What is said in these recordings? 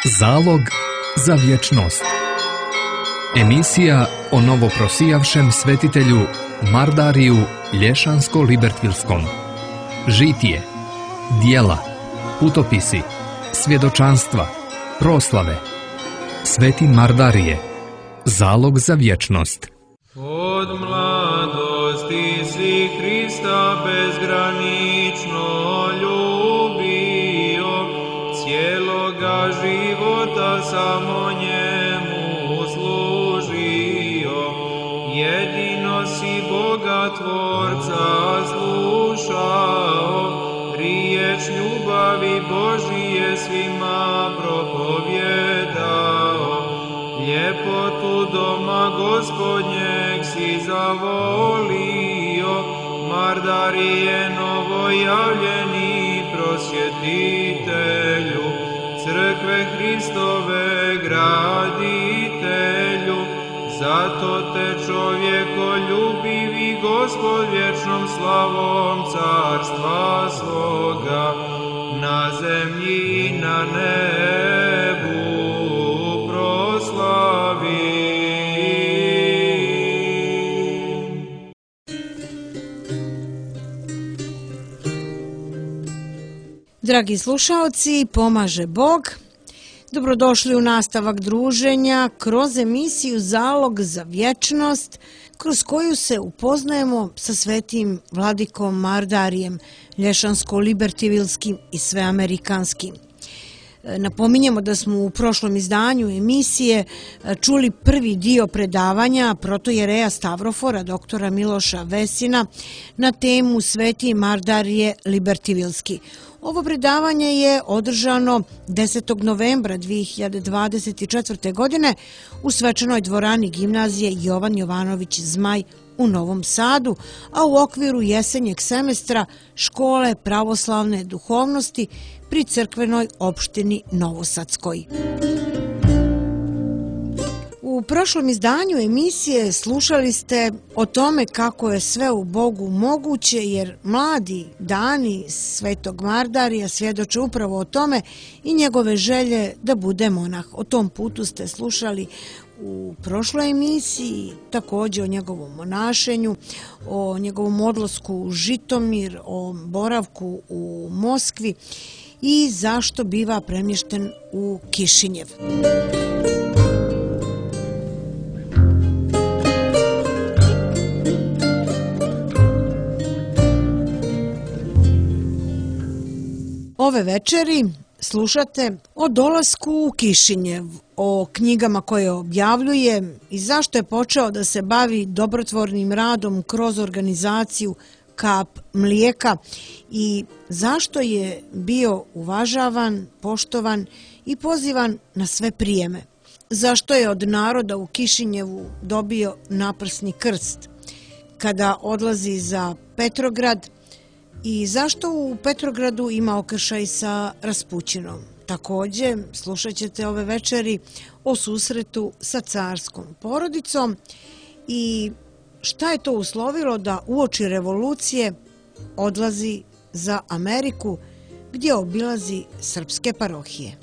Zalog za vječnost. Emisija o novoprosijavšem svetitelju Mardariju Lješansko-Libertvilskom. Žitije, dijela, putopisi, svjedočanstva, proslave. Sveti Mardarije. Zalog za vječnost. Od mladosti si Hrista bezgranično ljubio, cijeloga života samo njemu služio. Jedino si Boga Tvorca slušao, riječ ljubavi Božije svima propovijedao. Ljepotu doma Gospodnjeg si zavolio, Mardarije novojavljeni prosvjetitelju, crkve Hristove graditelju. Zato te čovjekoljubivi Gospod vječnom slavom carstva svoga na zemlji i na nebu proslavi. Dragi slušaoci, pomaže Bog. Dobrodošli u nastavak druženja kroz emisiju Zalog za vječnost, kroz koju se upoznajemo sa svetim vladikom Mardarijem, Lješansko-Libertvilskim i sveamerikanskim. Napominjemo da smo u prošlom izdanju emisije čuli prvi dio predavanja protojereja Stavrofora, doktora Miloša Vesina, na temu Sveti Mardarije Libertvilski. Ovo predavanje je održano 10. novembra 2024. godine u svečanoj dvorani gimnazije Jovan Jovanović Zmaj u Novom Sadu, a u okviru jesenjeg semestra Škole pravoslavne duhovnosti pri crkvenoj opštini Novosadskoj. U prošlom izdanju emisije slušali ste o tome kako je sve u Bogu moguće, jer mladi dani svetog Mardarija svjedoče upravo o tome i njegove želje da bude monah. O tom putu ste slušali u prošloj emisiji, također o njegovom monašenju, o njegovom odlasku u Žitomir, o boravku u Moskvi i zašto biva premješten u Kišinjev. Ove večeri slušate o dolasku u Kišinjev, o knjigama koje objavljuje i zašto je počeo da se bavi dobrotvornim radom kroz organizaciju Kap mlijeka i zašto je bio uvažavan, poštovan i pozivan na sve prijeme. Zašto je od naroda u Kišinjevu dobio naprsni krst kada odlazi za Petrograd i zašto u Petrogradu ima okršaj sa Raspućinom. Također slušat ćete ove večeri o susretu sa carskom porodicom i šta je to uslovilo da uoči revolucije odlazi za Ameriku gdje obilazi srpske parohije.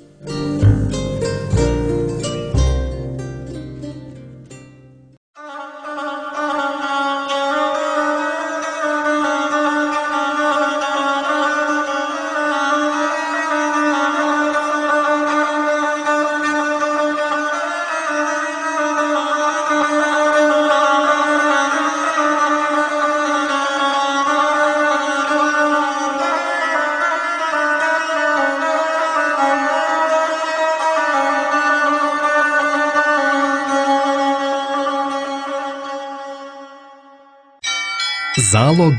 Zalog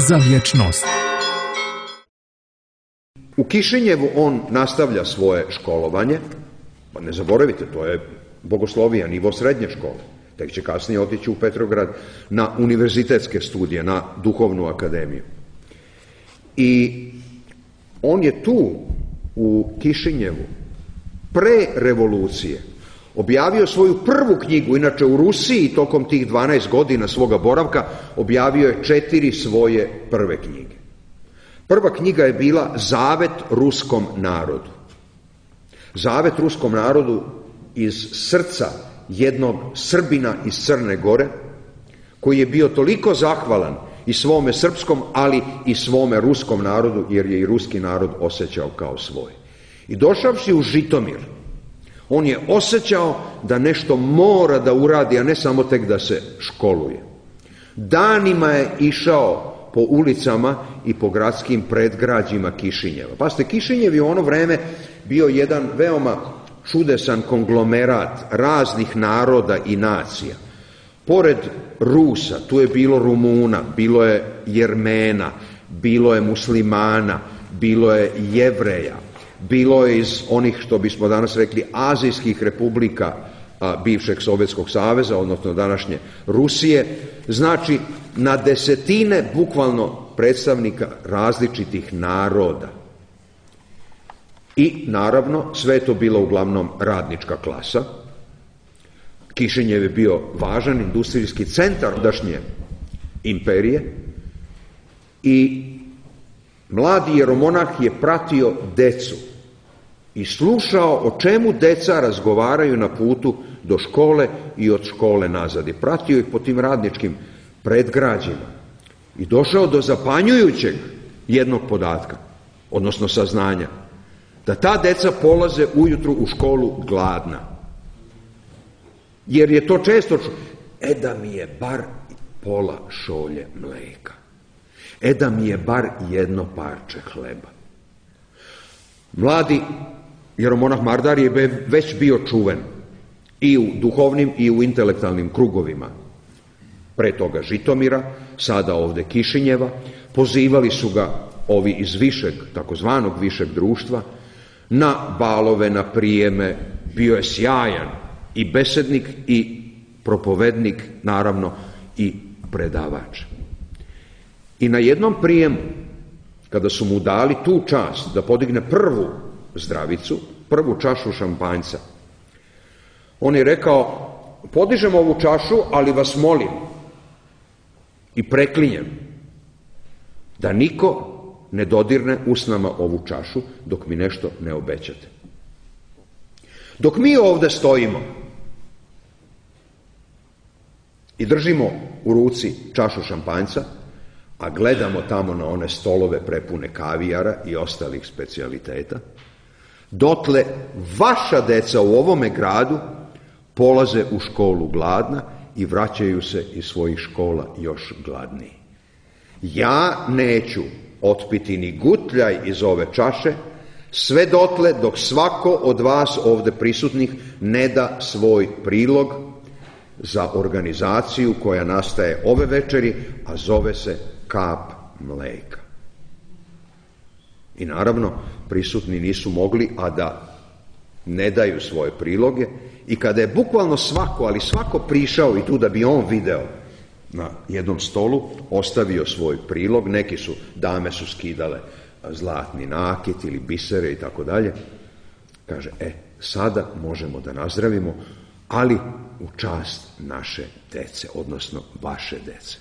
za vječnost. U Kišinjevu on nastavlja svoje školovanje, pa ne zaboravite, to je bogoslovija, nivo srednje škole. Tek će kasnije otići u Petrograd na univerzitetske studije, na duhovnu akademiju. I on je tu u Kišinjevu pre revolucije objavio svoju prvu knjigu, inače u Rusiji tokom tih 12 godina svoga boravka objavio je 4 svoje prve knjige. Prva knjiga je bila Zavet ruskom narodu. zavet ruskom narodu iz srca jednog Srbina iz Crne Gore, koji je bio toliko zahvalan i svome srpskom, ali i svome ruskom narodu, jer je i ruski narod osjećao kao svoj. I došavši u Žitomir, on je osjećao da nešto mora da uradi, a ne samo tek da se školuje. Danima je išao po ulicama i po gradskim predgrađima Kišinjeva. Pazite, Kišinjev je u ono vreme bio jedan veoma čudesan konglomerat raznih naroda i nacija. Pored Rusa, tu je bilo Rumuna, bilo je Jermena, bilo je muslimana, bilo je Jevreja, bilo je iz onih, što bismo danas rekli, azijskih republika bivšeg Sovjetskog saveza, odnosno današnje Rusije. Znači, na desetine bukvalno predstavnika različitih naroda. I naravno, sve je to bilo uglavnom radnička klasa. Kišinjev je bio važan industrijski centar dašnje imperije i mladi jeromonah je pratio decu i slušao o čemu deca razgovaraju na putu do škole i od škole nazad. I pratio ih po tim radničkim predgrađima i došao do zapanjujućeg jednog podatka, odnosno saznanja, da ta deca polaze ujutru u školu gladna. Jer je to često da mi je bar pola šolje mleka, da mi je bar jedno parče hleba. Mladi jeromonah Mardar je već bio čuven i u duhovnim i u intelektualnim krugovima. Pre toga Žitomira, sada ovde Kišinjeva, pozivali su ga ovi iz višeg, takozvanog višeg društva, na balove, na prijeme. Bio je sjajan i besednik i propovednik, naravno i predavač. I na jednom prijemu, kada su mu dali tu čast da podigne prvu zdravicu, prvu čašu šampanjca, on je rekao: podižem ovu čašu, ali vas molim i preklinjem da niko ne dodirne usnama ovu čašu dok mi nešto ne obećate. Dok mi ovde stojimo i držimo u ruci čašu šampanjca, a gledamo tamo na one stolove prepune kavijara i ostalih specijaliteta, dotle vaša deca u ovome gradu polaze u školu gladna i vraćaju se iz svojih škola još gladniji. Ja neću otpiti ni gutljaj iz ove čaše, sve dotle dok svako od vas ovde prisutnih ne da svoj prilog za organizaciju koja nastaje ove večeri, a zove se Kap mleka. I naravno, prisutni nisu mogli, a da ne daju svoje priloge, i kada je bukvalno svako, ali svako prišao i tu da bi on video na jednom stolu, ostavio svoj prilog, dame su skidale zlatni nakit ili bisere i tako dalje, kaže: sada možemo da nazdravimo, ali u čast naše dece, odnosno vaše dece.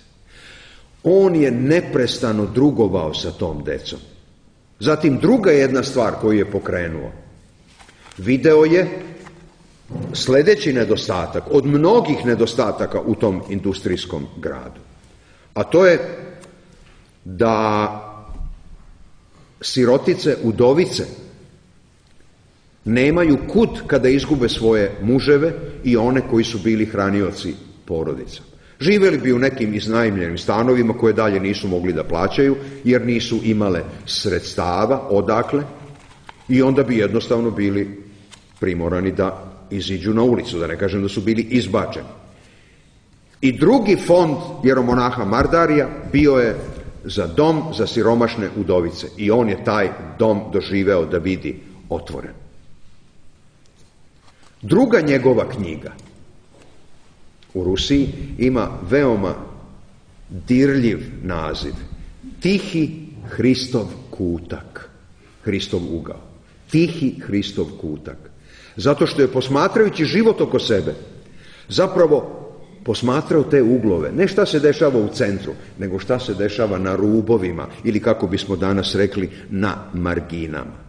On je neprestano drugovao sa tom decom. Zatim druga jedna stvar koju je pokrenuo, video je sledeći nedostatak od mnogih nedostataka u tom industrijskom gradu, a to je da sirotice, udovice nemaju kud kada izgube svoje muževe i one koji su bili hranioci porodica. Živeli bi u nekim iznajmljenim stanovima koje dalje nisu mogli da plaćaju jer nisu imale sredstava odakle, i onda bi jednostavno bili primorani da iziđu na ulicu, da ne kažem da su bili izbačeni. I drugi fond jeromonaha Mardarija bio je za dom za siromašne udovice, i on je taj dom doživeo da vidi otvoren. Druga njegova knjiga u Rusiji ima veoma dirljiv naziv: Tihi Hristov kutak, Hristov ugao. Tihi Hristov kutak. Zato što je, posmatrajući život oko sebe, zapravo posmatrao te uglove, ne šta se dešava u centru, nego šta se dešava na rubovima, ili kako bismo danas rekli, na marginama.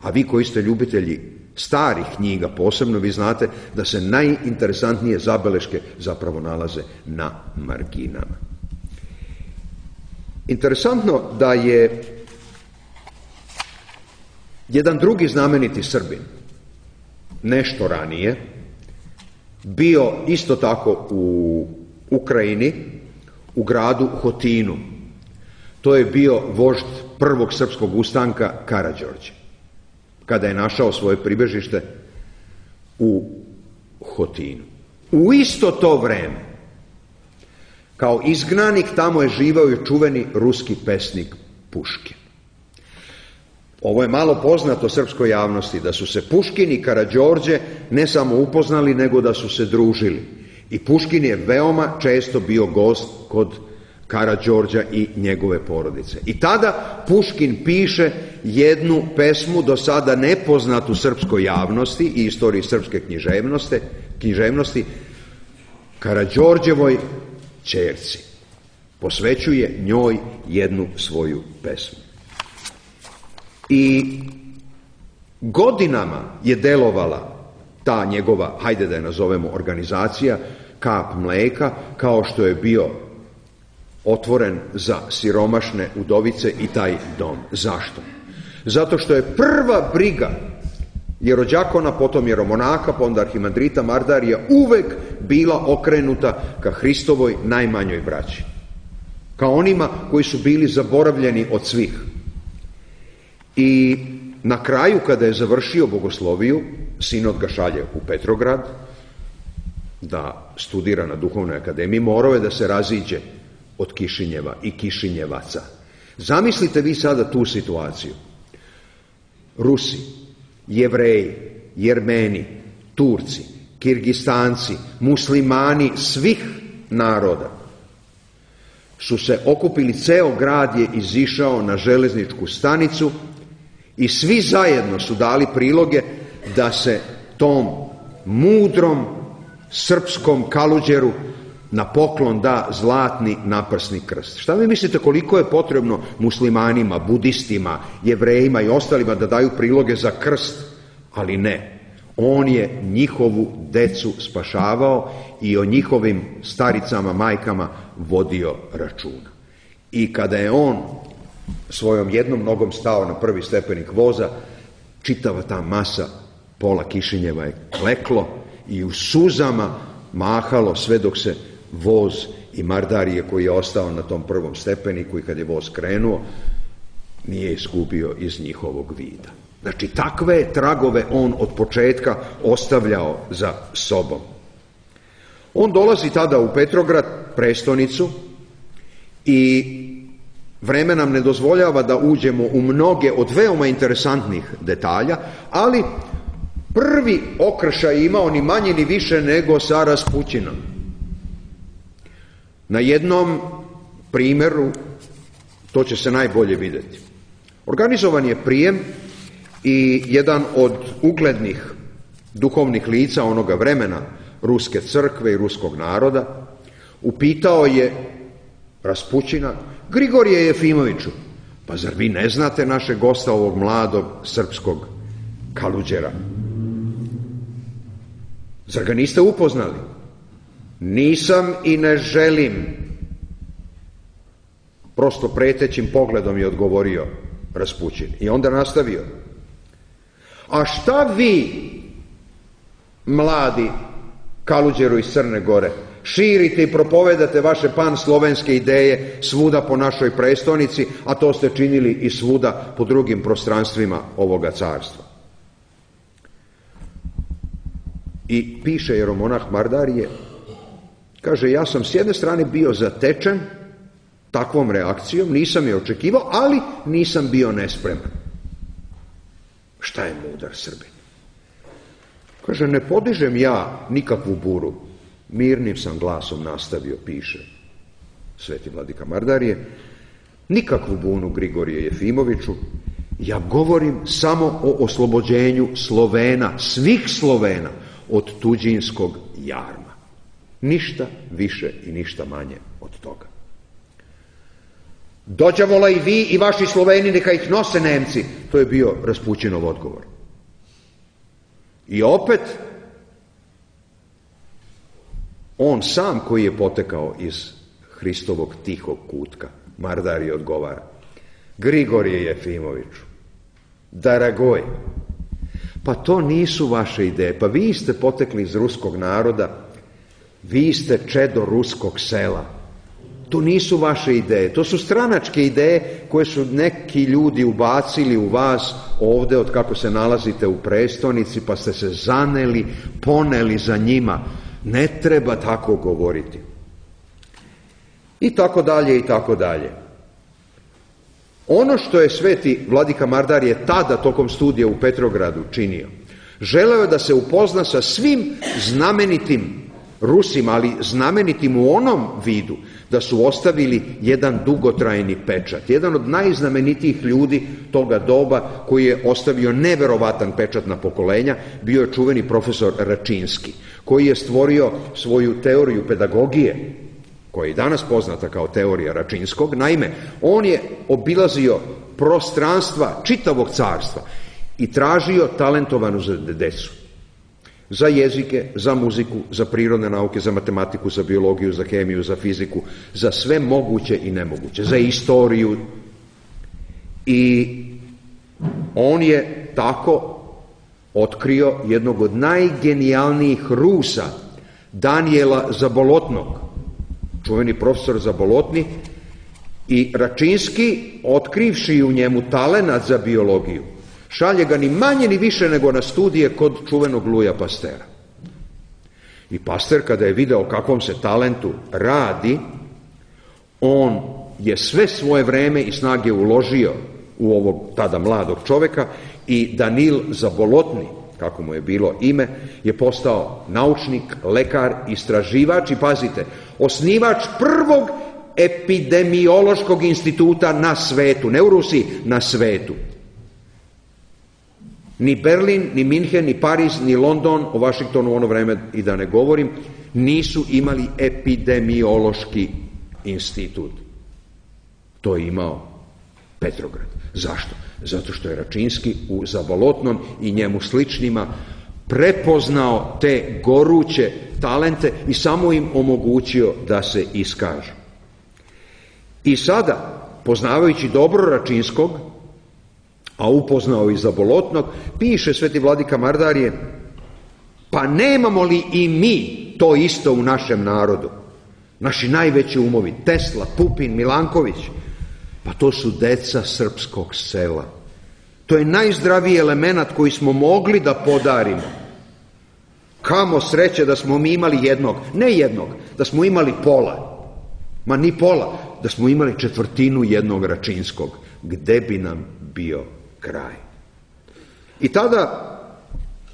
A vi koji ste ljubitelji starih knjiga posebno, vi znate da se najinteresantnije zabeleške zapravo nalaze na marginama. Interesantno da je jedan drugi znameniti Srbin, nešto ranije, bio isto tako u Ukrajini, u gradu Hotinu. To je bio vožd prvog srpskog ustanka Karađorđe, kada je našao svoje pribežište u Hotinu. U isto to vreme, kao izgnanik, tamo je živao i čuveni ruski pesnik Puškin. Ovo je malo poznato srpskoj javnosti, da su se Puškin i Karađorđe ne samo upoznali, nego da su se družili. I Puškin je veoma često bio gost kod Karađorđa i njegove porodice. I tada Puškin piše jednu pesmu do sada nepoznatu srpskoj javnosti i istoriji srpske književnosti, Karađorđevoj ćerci. Posvećuje njoj jednu svoju pesmu. I godinama je delovala ta njegova, hajde da je nazovemo, organizacija Kap mleka, kao što je bio otvoren za siromašne udovice i taj dom. Zašto? Zato što je prva briga jerođakona, potom jeromonaka, pa onda arhimandrita Mardarija uvek bila okrenuta ka Hristovoj najmanjoj braći, kao onima koji su bili zaboravljeni od svih. I na kraju, kada je završio bogosloviju, sinod ga šalje u Petrograd da studira na Duhovnoj akademiji, morao je da se raziđe od Kišinjeva i Kišinjevaca. Zamislite vi sada tu situaciju. Rusi, Jevreji, Jermeni, Turci, Kirgistanci, muslimani svih naroda su se okupili, ceo grad je izišao na železničku stanicu i svi zajedno su dali priloge da se tom mudrom srpskom Kaluđeru na poklon da zlatni naprsni krst. Šta vi mislite koliko je potrebno muslimanima, budistima, jevrejima i ostalima da daju priloge za krst? Ali ne. On je njihovu decu spašavao i o njihovim staricama, majkama vodio računa. I kada je on svojom jednom nogom stao na prvi stepenik voza, čitava ta masa pola Kišinjeva je kleklo i u suzama mahalo sve dok se voz i Mardarije koji je ostao na tom prvom stepeniku i kad je voz krenuo nije izgubio iz njihovog vida. Znači, takve tragove on od početka ostavljao za sobom. On dolazi tada u Petrograd, prestonicu, i vreme nam ne dozvoljava da uđemo u mnoge od veoma interesantnih detalja, ali prvi okršaj imao ni manje ni više nego sa Raspućinom. Na jednom primjeru to će se najbolje vidjeti. Organizovan je prijem i jedan od uglednih duhovnih lica onoga vremena ruske crkve i ruskog naroda upitao je Raspućina: Grigorije Jefimoviću, pa zar vi ne znate našeg gosta, ovog mladog srpskog Kaluđera? Zar ga niste upoznali? Nisam i ne želim. Prosto pretećim pogledom je odgovorio Raspućin. I onda nastavio: a šta vi, mladi Kaluđeru iz Crne Gore, širite i propovedate vaše pan-slovenske ideje svuda po našoj prestonici, a to ste činili i svuda po drugim prostranstvima ovoga carstva? I piše jeromonah Mardarije, kaže: ja sam s jedne strane bio zatečen takvom reakcijom, nisam je očekivao, ali nisam bio nespreman. Šta je mudar Srbin? Kaže: ne podižem ja nikakvu buru, mirnim sam glasom nastavio, piše sveti vladika Mardarije, nikakvu bunu Grigorije Jefimoviću, ja govorim samo o oslobođenju Slovena, svih Slovena, od tuđinskog jarma. Ništa više i ništa manje od toga. Dođavola i vi i vaši Sloveni, neka ih nose Nemci. To je bio Raspućinov odgovor. I opet, on sam koji je potekao iz Hristovog tihog kutka, Mardarije odgovara: Grigorije Jefimoviću, Daragoj, pa to nisu vaše ideje, pa vi ste potekli iz ruskog naroda, vi ste čedo ruskog sela. To nisu vaše ideje, to su stranačke ideje koje su neki ljudi ubacili u vas ovde od kako se nalazite u prestonici, pa ste se zaneli, poneli za njima. Ne treba tako govoriti. I tako dalje, i tako dalje. Ono što je sveti vladika Mardarije tada tokom studija u Petrogradu činio, želeo je da se upozna sa svim znamenitim Rusima, ali znamenitim u onom vidu da su ostavili jedan dugotrajni pečat. Jedan od najznamenitijih ljudi toga doba koji je ostavio neverovatan pečat na pokolenja bio je čuveni profesor Račinski, koji je stvorio svoju teoriju pedagogije, koja je i danas poznata kao teorija Račinskog. Naime, on je obilazio prostranstva čitavog carstva i tražio talentovanu decu. Za jezike, za muziku, za prirodne nauke, za matematiku, za biologiju, za hemiju, za fiziku, za sve moguće i nemoguće, za istoriju. I on je tako otkrio jednog od najgenijalnijih Rusa, Danijela Zabolotnog, čuveni profesor Zabolotni, i Račinski, otkrivši u njemu talenat za biologiju, šalje ga ni manje ni više nego na studije kod čuvenog Luja Pastera. I Paster, kada je video o kakvom se talentu radi, on je sve svoje vreme i snage uložio u ovog tada mladog čoveka i Danil Zabolotni, kako mu je bilo ime, je postao naučnik, lekar, istraživač i, pazite, osnivač prvog epidemiološkog instituta na svetu, ne u Rusiji, na svetu. Ni Berlin, ni Minhen, ni Pariz, ni London, o Vašingtonu u ono vreme i da ne govorim, nisu imali epidemiološki institut. To je imao Petrograd. Zašto? Zato što je Račinski u Zabolotnom i njemu sličnima prepoznao te goruće talente i samo im omogućio da se iskažu. I sada, poznavajući dobro Račinskog, a upoznao i Zabolotnog, piše sveti vladika Mardarije: pa nemamo li i mi to isto u našem narodu? Naši najveći umovi, Tesla, Pupin, Milanković, pa to su deca srpskog sela. To je najzdraviji element koji smo mogli da podarimo. Kamo sreće da smo mi imali jednog, ne jednog, da smo imali pola, ma ni pola, da smo imali četvrtinu jednog Račinskog, gde bi nam bio kraj. I tada,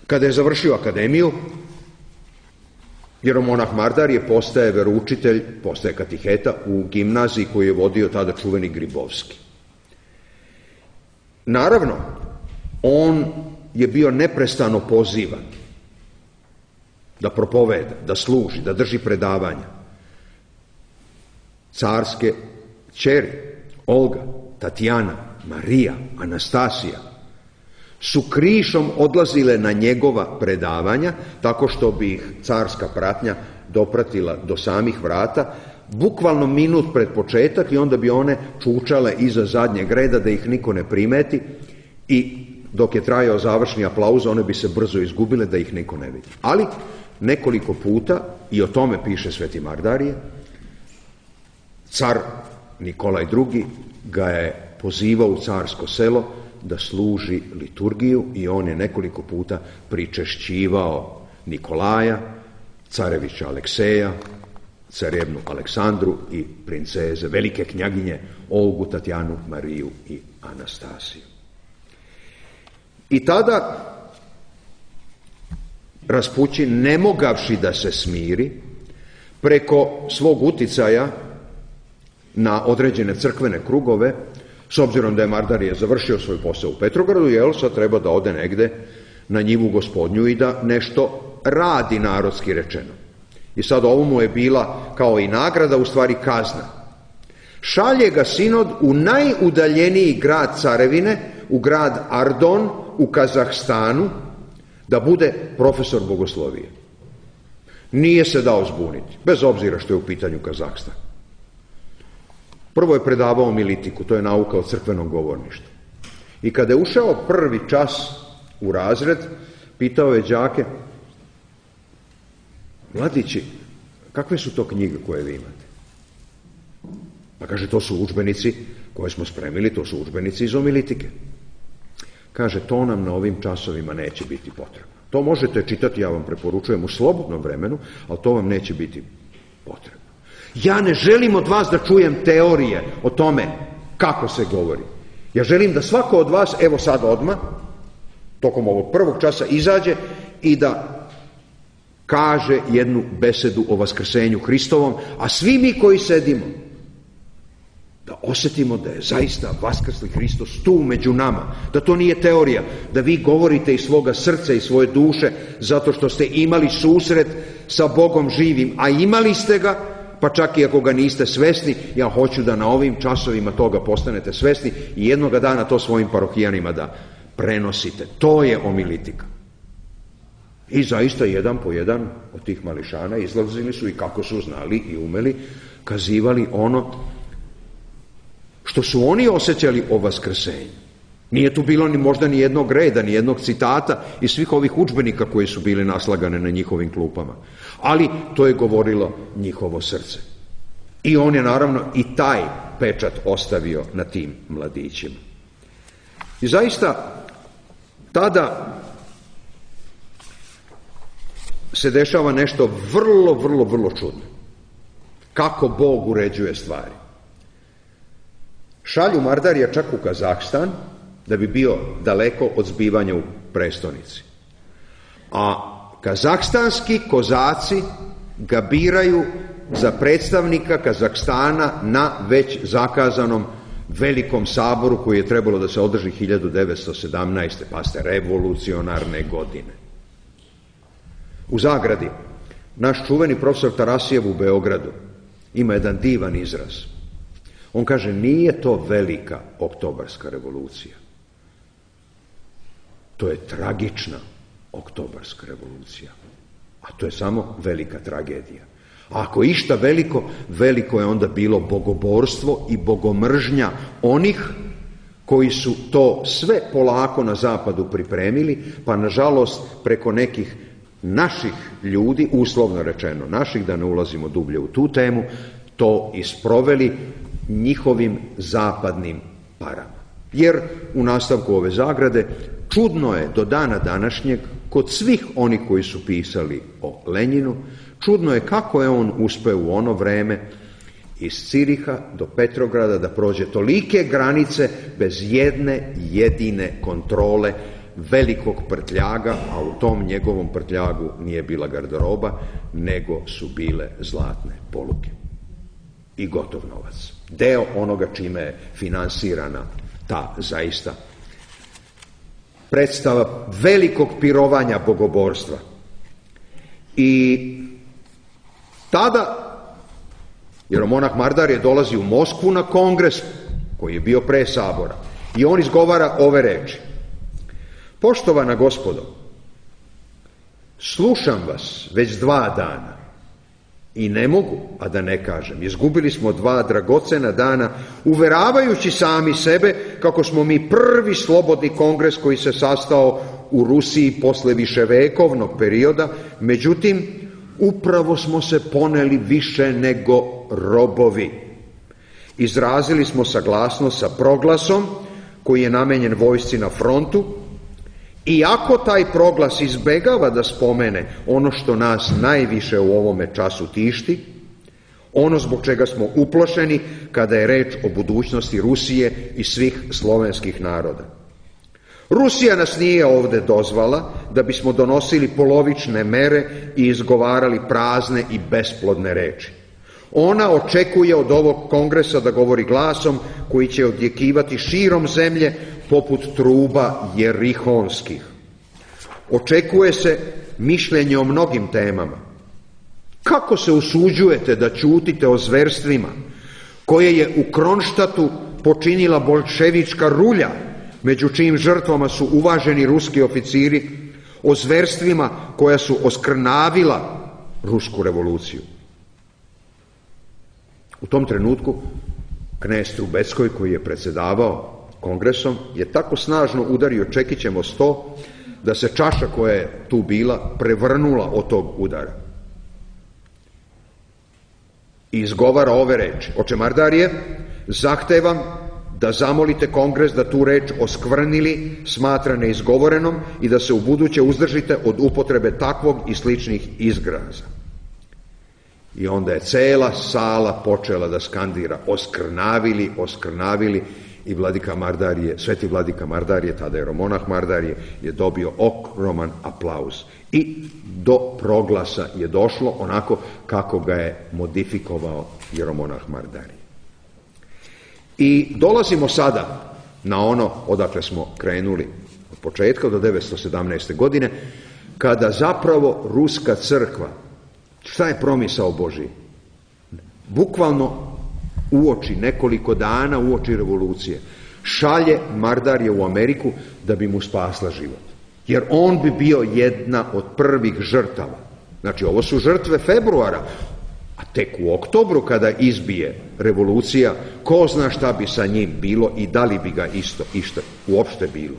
kada je završio akademiju, jeromonah Mardarije postaje veroučitelj, postaje katiheta u gimnaziji koju je vodio tada čuveni Gribovski. Naravno, on je bio neprestano pozivan da propoveda, da služi, da drži predavanja. Carske ćeri, Olga, Tatjana, Marija, Anastasija, su krišom odlazile na njegova predavanja, tako što bi ih carska pratnja dopratila do samih vrata, bukvalno minut pred početak, i onda bi one čučale iza zadnjeg reda da ih niko ne primeti, i dok je trajao završni aplauz, one bi se brzo izgubile da ih niko ne vidi. Ali nekoliko puta, i o tome piše sveti Mardarije, car Nikolaj II ga je pozivao u carsko selo da služi liturgiju, i on je nekoliko puta pričešćivao Nikolaja, carevića Alekseja, carevnu Aleksandru i princeze, velike knjaginje Olgu, Tatjanu, Mariju i Anastasiju. I tada Raspućin, ne mogavši da se smiri, preko svog uticaja na određene crkvene krugove, s obzirom da je Mardarije završio svoj posao u Petrogradu, sad treba da ode negde na njivu Gospodnju i da nešto radi, narodski rečeno. I sad ovo mu je bila kao i nagrada, u stvari kazna. Šalje ga sinod u najudaljeniji grad carevine, u grad Ardon u Kazahstanu, da bude profesor bogoslovije. Nije se dao zbuniti, bez obzira što je u pitanju Kazahstan. Prvo je predavao militiku, to je nauka o crkvenom govorništvu. I kada je ušao prvi čas u razred, pitao je đake: mladići, kakve su to knjige koje vi imate? Pa kaže, to su udžbenici koje smo spremili, to su udžbenici iz omilitike. Kaže, to nam na ovim časovima neće biti potrebno. To možete čitati, ja vam preporučujem, u slobodnom vremenu, ali to vam neće biti potrebno. Ja ne želim od vas da čujem teorije o tome kako se govori. Ja želim da svako od vas, evo sad odmah, tokom ovog prvog časa izađe i da kaže jednu besedu o vaskrsenju Hristovom, a svi mi koji sedimo, da osjetimo da je zaista vaskrsli Hristos tu među nama, da to nije teorija, da vi govorite iz svoga srca i svoje duše zato što ste imali susret sa Bogom živim, a imali ste ga, pa čak i ako ga niste svesni, ja hoću da na ovim časovima toga postanete svesni i jednoga dana to svojim parohijanima da prenosite. To je omilitika. I zaista jedan po jedan od tih mališana izlazili su i kako su znali i umeli, kazivali ono što su oni osjećali o vaskrsenju. Nije tu bilo možda ni jednog reda, ni jednog citata iz svih ovih udžbenika koji su bili naslagane na njihovim klupama. Ali to je govorilo njihovo srce. I on je naravno i taj pečat ostavio na tim mladićima. I zaista tada se dešava nešto vrlo čudno. Kako Bog uređuje stvari. Šalju Mardarija čak u Kazahstan, da bi bio daleko od zbivanja u prestonici. A kazahstanski kozaci ga biraju za predstavnika Kazahstana na već zakazanom velikom saboru koji je trebalo da se održi 1917. pa ste revolucionarne godine. U zagradi, naš čuveni profesor Tarasijev u Beogradu ima jedan divan izraz. On kaže, nije to velika oktobarska revolucija. To je tragična oktobarska revolucija. A to je samo velika tragedija. A ako išta veliko, veliko je onda bilo bogoborstvo i bogomržnja onih koji su to sve polako na zapadu pripremili, pa nažalost preko nekih naših ljudi, uslovno rečeno naših, da ne ulazimo dublje u tu temu, to isproveli njihovim zapadnim parama. Jer u nastavku ove zagrade čudno je do dana današnjeg kod svih onih koji su pisali o Lenjinu, čudno je kako je on uspeo u ono vreme iz Ciriha do Petrograda da prođe tolike granice bez jedne jedine kontrole velikog prtljaga, a u tom njegovom prtljagu nije bila garderoba, nego su bile zlatne poluge i gotov novac. Deo onoga čime je finansirana ta zaista predstava velikog pirovanja bogoborstva. I tada jeromonah Mardar je dolazi u Moskvu na kongres koji je bio pre sabora i on izgovara ove reči: poštovana gospodo, slušam vas već 2 dana i ne mogu, a da ne kažem, izgubili smo 2 dragocena dana uveravajući sami sebe kako smo mi prvi slobodni kongres koji se sastao u Rusiji posle viševekovnog perioda, međutim, upravo smo se poneli više nego robovi. Izrazili smo saglasnost sa proglasom koji je namenjen vojsci na frontu, iako taj proglas izbegava da spomene ono što nas najviše u ovome času tišti, ono zbog čega smo uplošeni kada je reč o budućnosti Rusije i svih slovenskih naroda. Rusija nas nije ovde dozvala da bismo donosili polovične mere i izgovarali prazne i besplodne reči. Ona očekuje od ovog kongresa da govori glasom koji će odjekivati širom zemlje poput truba jerihonskih. Očekuje se mišljenje o mnogim temama. Kako se usuđujete da ćutite o zverstvima koje je u Kronštatu počinila boljševička rulja, među čijim žrtvama su uvaženi ruski oficiri, o zverstvima koja su oskrnavila rusku revoluciju. U tom trenutku knez Trubeckoj, koji je predsjedavao kongresom, je tako snažno udario čekićem o sto da se čaša koja je tu bila prevrnula od tog udara. I izgovara ove reči: oče Mardarije, zahtevam da zamolite kongres da tu reč oskvrnili smatra neizgovorenom i da se ubuduće uzdržite od upotrebe takvog i sličnih izraza. I onda je cela sala počela da skandira: oskrnavili, oskrnavili. I vladika Mardarije, sveti vladika Mardarije, tada jeromonah Mardarije, je dobio ogroman aplauz. I do proglasa je došlo onako kako ga je modifikovao jeromonah Mardarije. I dolazimo sada na ono odakle smo krenuli od početka, do 917. godine, kada zapravo ruska crkva, šta je promisao Božji? Bukvalno uoči, nekoliko dana uoči revolucije, šalje Mardarije u Ameriku da bi mu spasla život. Jer on bi bio jedna od prvih žrtava. Znači, ovo su žrtve februara, a tek u oktobru kada izbije revolucija, ko zna šta bi sa njim bilo i da li bi ga isto uopšte bilo.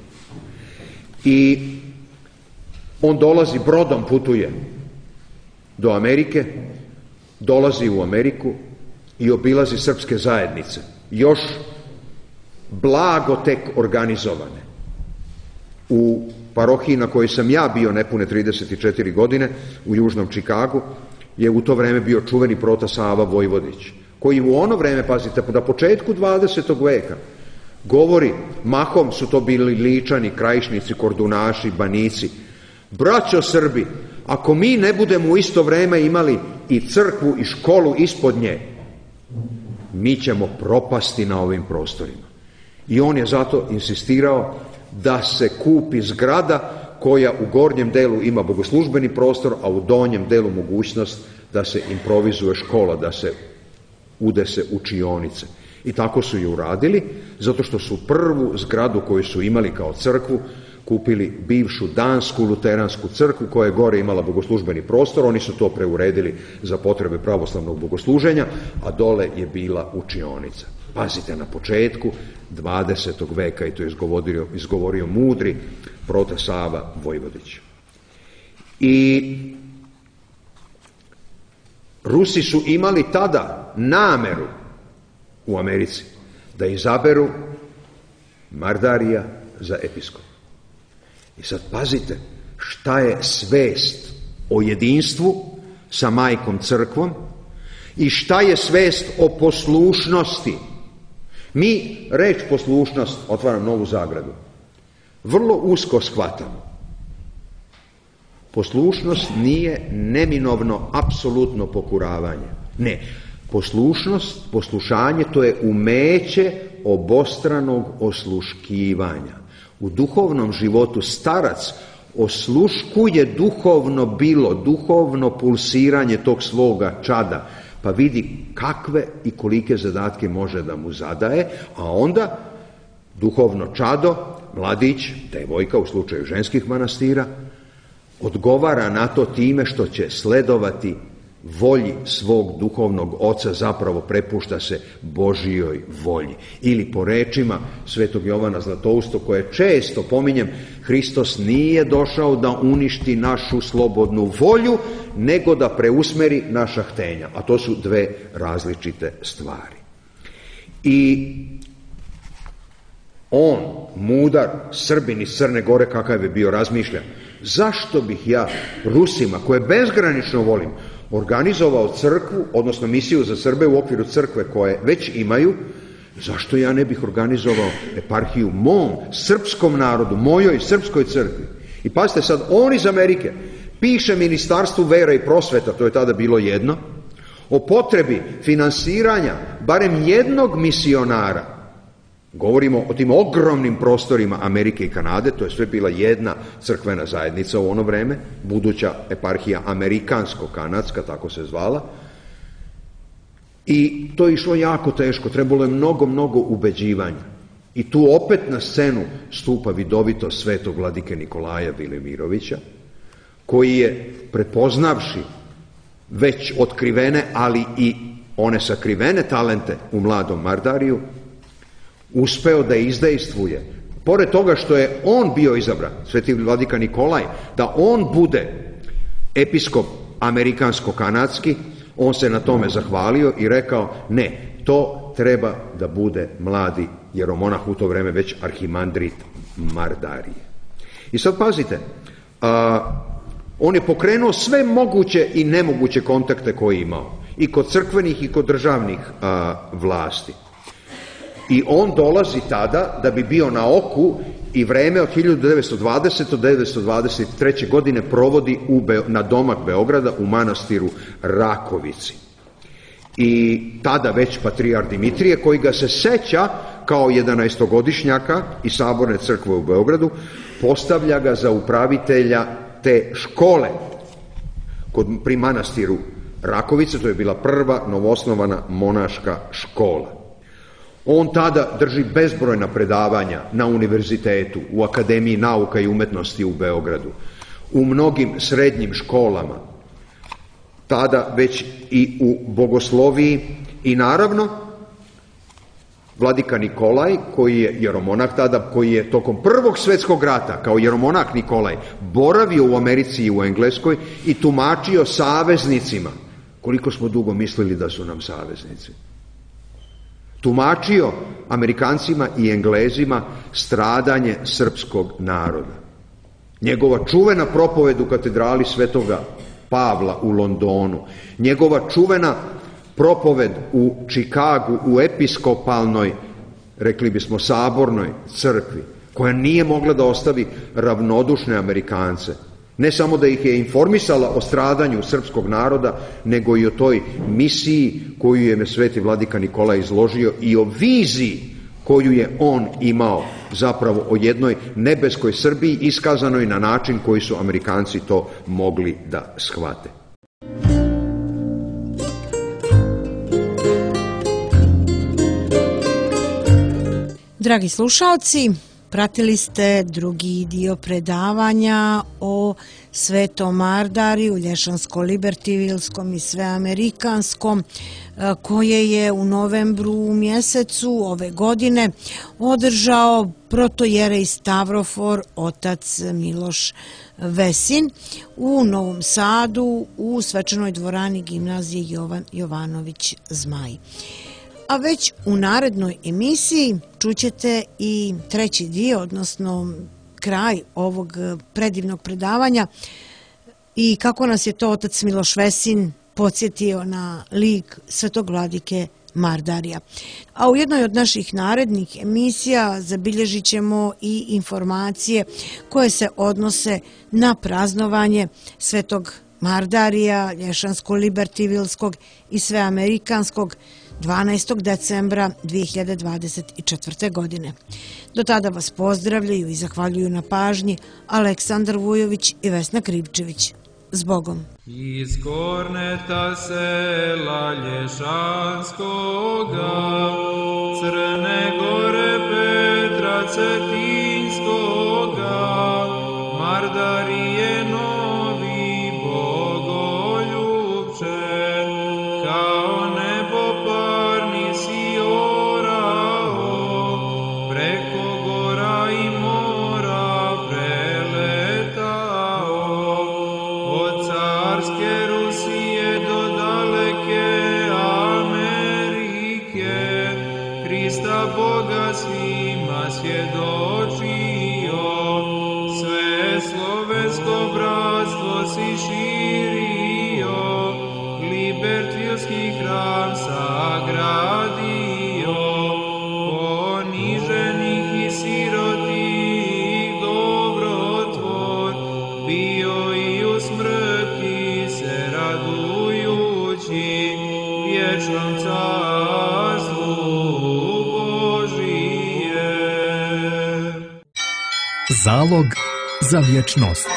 I on dolazi brodom, putuje do Amerike, dolazi u Ameriku i obilazi srpske zajednice, još blago tek organizovane. U parohiji na kojoj sam ja bio nepune 34 godine, u južnom Čikagu, je u to vreme bio čuveni prota Sava Vojvodić, koji u ono vreme, pazite, na početku 20. veka, govori, mahom su to bili Ličani, Krajišnici, Kordunaši, Banici: braćo Srbi, ako mi ne budemo u isto vreme imali i crkvu i školu ispod nje, mi ćemo propasti na ovim prostorima. I on je zato insistirao da se kupi zgrada koja u gornjem delu ima bogoslužbeni prostor, a u donjem delu mogućnost da se improvizuje škola, da se udese učionice. I tako su je uradili, zato što su prvu zgradu koju su imali kao crkvu kupili bivšu dansku luteransku crkvu koja je gore imala bogoslužbeni prostor. Oni su to preuredili za potrebe pravoslavnog bogosluženja, a dole je bila učionica. Pazite, na početku 20. veka, i to je izgovorio mudri prota Sava Vojvodić. I Rusi su imali tada nameru u Americi da izaberu Mardarija za episkopa. I sad pazite šta je svest o jedinstvu sa majkom crkvom i šta je svest o poslušnosti. Mi reč poslušnost, otvaram novu zagradu, vrlo usko shvatamo. Poslušnost nije neminovno apsolutno pokuravanje. Ne, poslušnost, poslušanje, to je umeće obostranog osluškivanja. U duhovnom životu starac osluškuje duhovno bilo, duhovno pulsiranje tog svoga čada, pa vidi kakve i kolike zadatke može da mu zadaje, a onda duhovno čado, mladić, devojka u slučaju ženskih manastira, odgovara na to time što će sledovati volji svog duhovnog oca, zapravo prepušta se Božijoj volji. Ili po rečima svetog Jovana Zlatoustog, koje često pominjem, Hristos nije došao da uništi našu slobodnu volju, nego da preusmeri naša htenja. A to su dve različite stvari. I on, mudar Srbin iz Crne Gore, kakav je bio, razmišlja: zašto bih ja Rusima, koje bezgranično volim, organizovao crkvu, odnosno misiju za Srbe u okviru crkve koje već imaju, zašto ja ne bih organizovao eparhiju mom srpskom narodu, mojoj srpskoj crkvi? I pazite sad, on iz Amerike piše Ministarstvu vera i prosveta, to je tada bilo jedno, o potrebi finansiranja barem jednog misionara. Govorimo o tim ogromnim prostorima Amerike i Kanade, to je sve bila jedna crkvena zajednica u ono vreme, buduća eparhija amerikansko-kanadska, tako se zvala. I to je išlo jako teško, trebalo je mnogo ubeđivanja. I tu opet na scenu stupa vidovito svetog vladike Nikolaja Vilimirovića, koji je, prepoznavši već otkrivene, ali i one sakrivene talente u mladom Mardariju, uspeo da izdejstvuje. Pored toga što je on bio izabran, sveti vladika Nikolaj, da on bude episkop amerikansko-kanadski, on se na tome zahvalio i rekao, ne, to treba da bude mladi jeromonah, u to vreme već arhimandrit Mardarije. I sad pazite, on je pokrenuo sve moguće i nemoguće kontakte koje je imao, i kod crkvenih i kod državnih vlasti. I on dolazi tada da bi bio na oku i vreme od 1920. do 1923. godine provodi na domak Beograda u manastiru Rakovici. I tada već patrijar Dimitrije, koji ga se seća kao 11-godišnjaka iz Saborne crkve u Beogradu, postavlja ga za upravitelja te škole pri manastiru Rakovice. To je bila prva novoosnovana monaška škola. On tada drži bezbrojna predavanja na univerzitetu, u Akademiji nauka i umetnosti u Beogradu, u mnogim srednjim školama, tada već i u bogosloviji, i naravno vladika Nikolaj, koji je jeromonah tada, koji je tokom Prvog svjetskog rata kao jeromonah Nikolaj boravio u Americi i u Engleskoj i tumačio saveznicima, koliko smo dugo mislili da su nam saveznici, tumačio Amerikancima i Englezima stradanje srpskog naroda. Njegova čuvena propoved u katedrali Svetoga Pavla u Londonu, njegova čuvena propoved u Čikagu u episkopalnoj, rekli bismo sabornoj crkvi, koja nije mogla da ostavi ravnodušne Amerikance. Ne samo da ih je informisala o stradanju srpskog naroda, nego i o toj misiji koju je sveti vladika Nikolaj izložio i o viziji koju je on imao zapravo o jednoj nebeskoj Srbiji, iskazanoj na način koji su Amerikanci to mogli da shvate. Dragi slušaoci, pratili ste drugi dio predavanja o Svetom Mardariju, Lješansko-Libertivilskom i Sveamerikanskom, koje je u novembru mjesecu ove godine održao protojerej Stavrofor otac Miloš Vesin u Novom Sadu u svečanoj dvorani gimnazije Jovan Jovanović Zmaj. A već u narednoj emisiji čućete i treći dio, odnosno kraj ovog predivnog predavanja i kako nas je to otac Miloš Vesin podsjetio na lik svetog vladike Mardarija. A u jednoj od naših narednih emisija zabilježit ćemo i informacije koje se odnose na praznovanje svetog Mardarija, Lješansko-Libertivilskog i Sveamerikanskog 12. decembra 2024. godine. Do tada vas pozdravljaju i zahvaljuju na pažnji Aleksandar Vujović i Vesna Krivčević. Zbogom. Iz Korneta sela Lješanskoga, Crne Gore Petra Cetinskoga, Mardarije novi bogoljubče, kao nebo parni si orao, preko gora i mora preletao, od carske Rusije do daleke Amerike, Hrista Boga svima svjedočio, sve slovensko bratstvo si širio, Libertvilski hram sagradio, poniženih i sirotih dobrotvor, bio i u smrti se radujući, vječnom carstvu Božije. Zalog za vječnost.